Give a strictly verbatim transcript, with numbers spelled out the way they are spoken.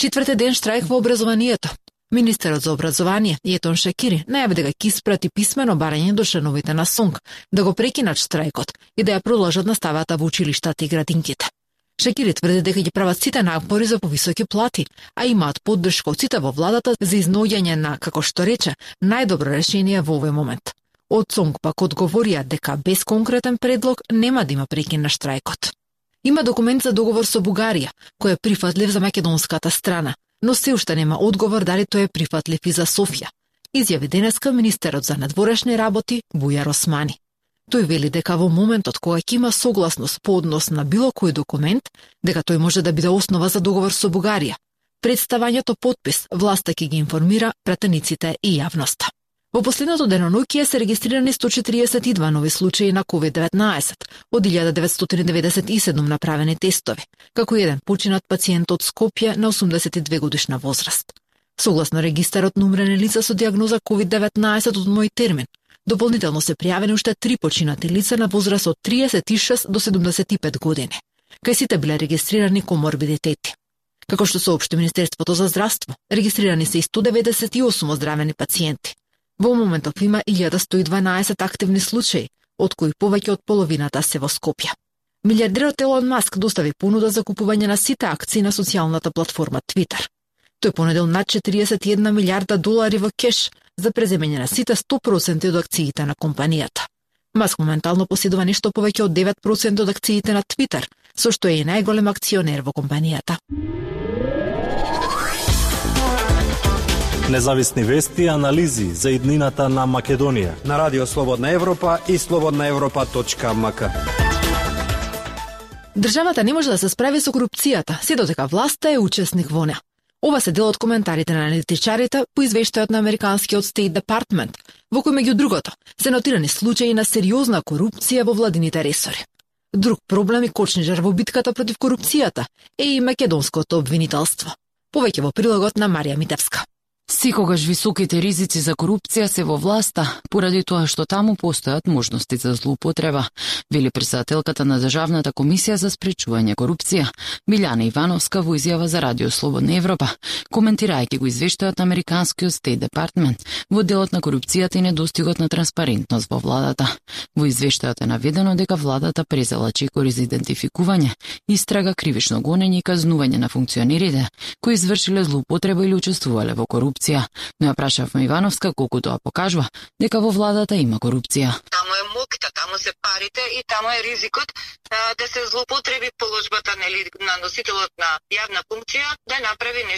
Четврти ден штрајк во образованието. Министерот за образование Етон Шакири најави дека ќе испрати писмено барање до членовите на СОНК да го прекинат штрајкот и да ја продолжат наставата во училиштата и градинките. Шакири тврди дека ќе прават сите напори за повисоки плати, а имаат поддршка од сите во владата за изноѓање на, како што рече, најдобро решение во овој момент. Од СОНК пак одговорија дека без конкретен предлог нема да има прекин на штрајкот. Има документ за договор со Бугарија, кој е прифатлив за македонската страна, но се уште нема одговор дали тој е прифатлив и за Софија, изјави денеска министерот за надворешни работи Бујар Османи. Тој вели дека во моментот кога ќе има согласност по однос на било кој документ, дека тој може да биде основа за договор со Бугарија. Представањето подпис власта ќе ги информира пратениците и јавноста. Во последното деноноќие се регистрирани сто четиридесет и два нови случаи на ковид деветнаесет, од илјада деветстотини деветдесет и седум направени тестови, како еден починат пациент од Скопје на осумдесет и две годишна возраст. Согласно регистарот на умрени лица со дијагноза ковид деветнаесет од мој термин, дополнително се пријавени уште три починати лица на возраст од триесет и шест до седумдесет и пет години. Кај сите биле регистрирани коморбидитети. Како што соопшти Министерството за здравство, регистрирани се и сто деветдесет и осум оздравени пациенти. Во моментов има илјада сто и дванаесет активни случаи, од кои повеќе од половината се во Скопје. Милијардерот Елон Маск достави понуда за купување на сите акции на социјалната платформа Twitter. Тој понудил над четиристотини и една милијарда долари во кеш за преземање на сите сто проценти од акциите на компанијата. Маск моментално поседува нешто повеќе од девет проценти од акциите на Twitter, со што е и најголем акционер во компанијата. Независни вести и анализи за иднината на Македонија на Радио Слободна Европа и слободна европа точка ем ка. Државата не може да се справи со корупцијата, се додека власта е учесник во неа. Ова се дел од коментарите на аналитичарите по извештајот на американскиот State Department, во кој меѓу другото се нотирани случаи на сериозна корупција во владините ресори. Друг проблем и кочничар во битката против корупцијата е и македонското обвинителство. Повеќе во прилогот на Марија Митевска. Секогаш високите ризици за корупција се во власта, поради тоа што таму постојат можности за злоупотреба, вели претседателката на Државната комисија за спречување корупција, Билјана Ивановска, во изјава за Радио Слободна Европа, коментирајќи го извештајот на американскиот State Department во делот на корупцијата и недостигот на транспарентност во владата. Во извештајот е наведено дека владата презела чекори за идентификување, истрага, кривично гонење и казнување на функционерите кои извршиле злоупотреба или учествувале во корупција. Но ја прашавме Ивановска колку тоа покажува дека во владата има корупција. Таму е мокта, таму се парите и таму е ризикот а, да се злоупотреби положбата нели на носителот на јавна функција да направи нешто